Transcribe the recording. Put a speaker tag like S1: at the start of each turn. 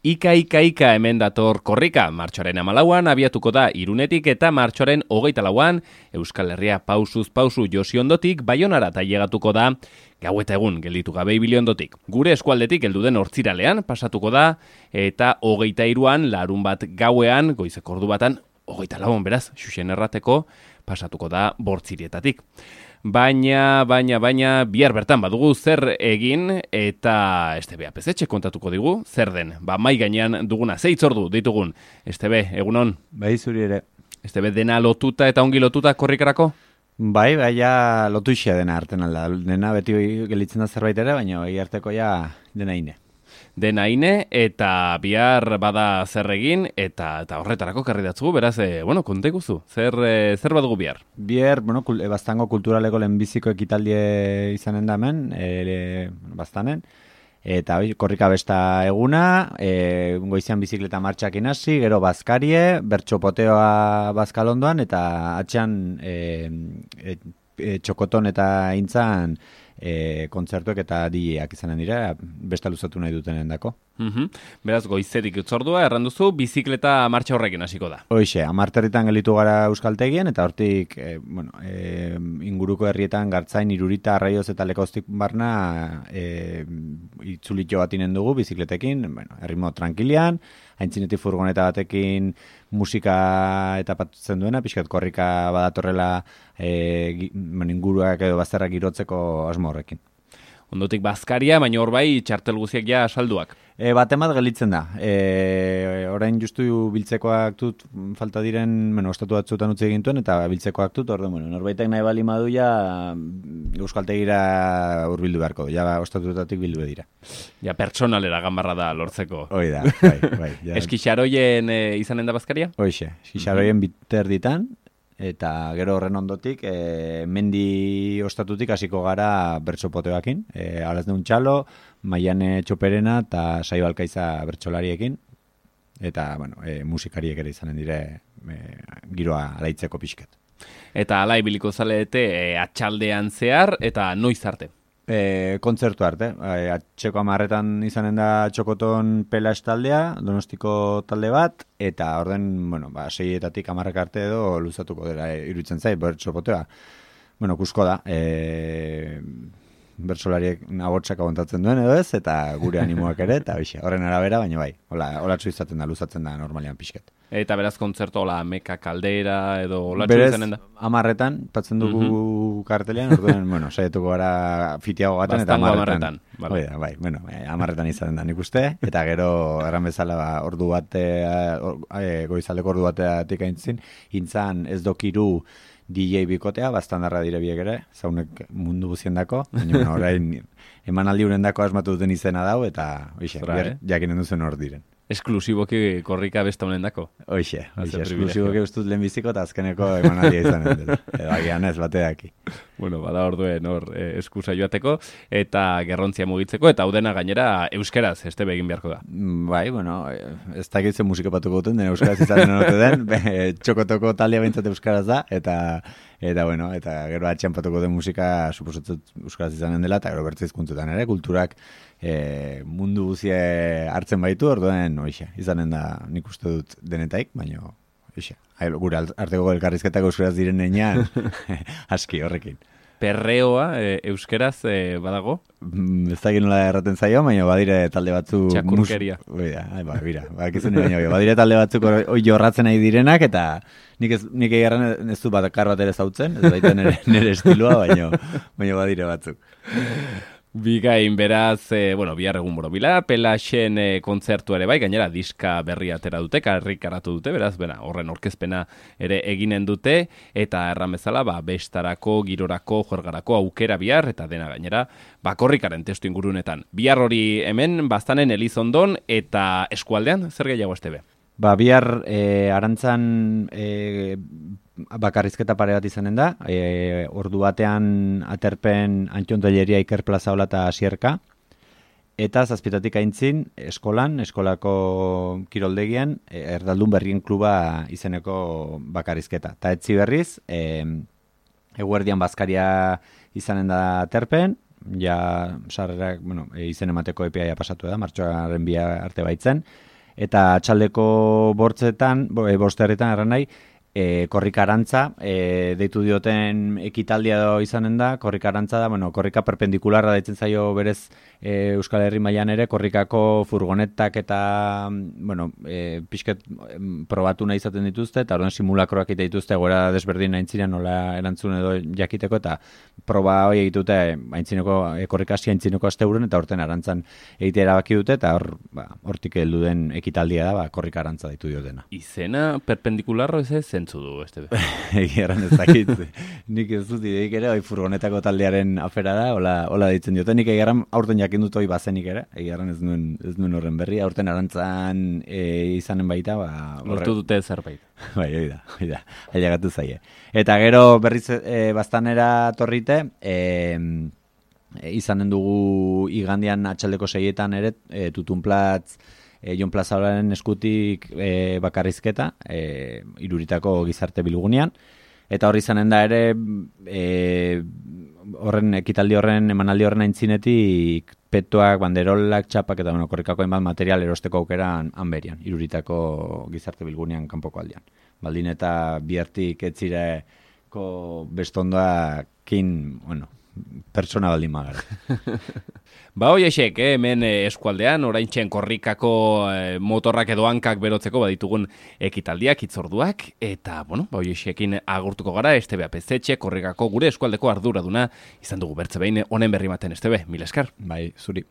S1: Ika hemen dator korrika, martxoaren 14an abiatuko da Irunetik eta martxoaren 24an Euskal Herria pausuz pausu Josi ondotik Baionara tailegatuko da gau eta egun gelditu gabe ibili ondotik. Gure eskualdetik heldu den Hortziralean pasatuko da eta 23an larunbat gauean goizeko ordu batan 24 beraz, xuxen errateko pasatuko da Bortzirietatik. Baina, bihar bertan badugu zer egin eta STB APZ kontatuko digu, zer den. Mai gainean duguna, 6 ordu ditugun. STB, egunon?
S2: Bai, zuri ere.
S1: STB dena lotuta eta ongi lotuta korrikarako?
S2: Bai, ja lotu isia dena arten alda. Dena beti gelitzen da zerbait ere, baina bai arteko ja dena ine.
S1: Dena ine, eta bihar bada zer egin, eta horretarako karri datzugu, beraz, konteguzu, zer badugu bihar?
S2: Bihar, Baztango kulturaleko lehenbiziko ekitaldie izanen da hemen, Baztanen, eta korrika besta eguna, goizean bizikleta martxakin hasi, gero bazkarie, bertxopoteoa bazkalondoan, eta atxean txokoton eta intzan kontzertuek eta DJak izanen dira, besta luzatu nahi dutenen dako.
S1: Beraz, goizetik utzordua, erranduzu, bizikleta martxa horrekin hasiko da.
S2: Hoxe, 10 gelitu gara Euskaltegien, eta hortik, inguruko herrietan Gartzain, Irurita, Arraioz eta Lekauztik barna itzulitxo bat inen dugu bizikletekin, erritmo tranquilian, haintzinetik furgoneta batekin musika eta patutzen duena, pixkat korrika badatorrela inguruak edo bazterrak girotzeko asmo horrekin.
S1: Ondotik bazkaria, baina hor bai txartel guziak ja salduak.
S2: Batemat gelitzen da. Orain justu biltzekoak dut falta diren, ostatu batzutan utzi egintuen, eta biltzekoak dut, norbaitek nahi bali madu ja Euskaltegira urbildu beharko, ja ostatutatik bildu dira.
S1: Ja pertsonalera ganbarra da lortzeko.
S2: Hoi da, bai.
S1: Eskixaroien izanen da bazkaria?
S2: Hoixe, eskixaroien biter ditan, eta gero horren ondotik, mendi ostatutik hasiko gara bertsopoteoakin, Arazneun Txalo, Maiane Txoperena eta Saio Alkaiza bertsolariekin, eta musikariek ere izanen dire giroa alaitzeko pixket.
S1: Eta ala ibiliko zaleete atxaldean zehar eta noiz arte?
S2: Kontzertu arte. Atxeko 10 izanen da Txokoton Pela taldea, Donostiko talde bat, eta orden, 6etatik 10 arte edo luzatuko dela iruditzen zait, bertsopotea. Kusko da, bertsolariek nagotxak abontatzen duen edo ez, eta gure animoak ere, eta horren arabera, baina bai, holatxo izaten da, luzatzen da normalean pixket. Eta
S1: beraz kontzertu meka kaldera edo holatxo izanen da?
S2: Berez, 10 patzen dugu kartelean, orduen, saietuko gara fitiago gaten, eta 10 bai, 10 izaten da nik uste, eta gero erran bezala ordu bate, goizaldeko ordu bateatik aintzin, intzan ez dokiru DJ bikotea, bastandarra dire biek ere, zaunek mundu guziendako, baina orain emanaldi urendako asmatu duten izena dau, eta jakinen duzen hor diren.
S1: Esklusiboki korrika besta honen dako?
S2: Hoxe, esklusiboki ustut lehenbiziko eta azkeneko emanaldia izanen dela. Edo agian ez, bateaki.
S1: Bada orduen hor eskusa joateko, eta gerrontzia mugitzeko, eta hau dena gainera euskeraz, STB egin beharko da.
S2: Bai, ez dakitzen musika patuko duten, euskeraz izanen honote den, Txokotoko taldea behintzat euskaraz da, eta gero atxean patuko den musika suposatzen euskaraz izanen dela, eta gero bertzizkuntzutan ere, kulturak mundu guzie hartzen baitu, orduen izanen da nik uste dut denetaik, baina gure arteko elkarrizketak euskaraz diren nenean aski horrekin.
S1: Perreoa euskeraz badago?
S2: Ez da nola erraten zaio, baina badire talde batzuk...
S1: Txakurkeria.
S2: Badire talde batzuk hoi jorratzen nahi direnak, eta nik egarren ez du bakar bat ere zautzen, ez baita nire estiloa, baina badire batzuk.
S1: Bigain beraz, bihar egun borobila, Pelaxen kontzertu ere bai, gainera diska berria atera dute, karrikaratu dute, beraz, horren orkezpena ere eginen dute, eta erran bezala, bestarako, girorako, juergarako, aukera bihar, eta dena gainera, korrikaren testu ingurunetan. Bihar hori hemen, Baztanen Elizondon, eta eskualdean, zer gehiago STB?
S2: Bihar arantzan bakarrizketa pare bat izanen da, ordu batean aterpen Antion Telleria Iker Plaza Ola eta Asierka, eta 7 aintzin eskolako kiroldegian, Erdaldun Berrien Kluba izeneko bakarrizketa. Ta etzi berriz, eguerdian bazkaria izanen da aterpen, ja sarrerak, izen emateko epea pasatu da, martxoaren 2 arte baitzen, eta atxaldeko bosterretan erran nahi, korrika arantza, deitu dioten ekitaldia izanen da, korrika arantza da, korrika perpendikularra deitzen zaio berez Euskal Herri mailan ere, korrikako furgonetak eta, pixket probatu nahi izaten dituzte, eta orduan simulakroak ite dituzte, gora desberdin aintzinean nola erantzun edo jakiteko, eta proba hori egitute aintzineko korrikasi aintzineko asteburuan, eta horten arantzan egitea erabaki dute, eta hortik heldu den ekitaldia da, korrika arantza deitu diotena.
S1: Izena perpendikularro ez zentzu du, Estebe?
S2: Egeran ez dakit, nik ez dut ideik ere, furgonetako taldearen afera da, hola deitzen diote, nik egeran aurten jakin dut hori bazenik ere, egeran ez nuen horren berri, aurten arantzan izanen baita,
S1: lortu dute zerbait.
S2: Bai, hori da, ailegatu zaie. Eta gero berriz bastanera torrite, izanen dugu igandian atxaldeko 6etan ere, Tutunplatz, Jon Plazalaren eskutik bakarrizketa, Iruritako gizarte bilgunean, eta hori izanen da ere, horren ekitaldi horren, emanaldi horren aintzinetik, petuak, banderolak, txapak eta korrikako hainbat material erosteko aukeran hanberian, Iruritako gizarte bilgunean kanpoko aldean. Baldin eta bihartik etzireko bestondoakin, pertsona baldin magara.
S1: Hoiexek, hemen eskualdean, oraintxen korrikako motorrak edo hankak berotzeko baditugun ekitaldiak, hitzorduak, eta, hoiexekin agurtuko gara, Estebe Apezetxe, korrikako gure eskualdeko arduraduna izan dugu bertze behin, honen berri maten, Estebe, mil esker.
S2: Bai, zuri.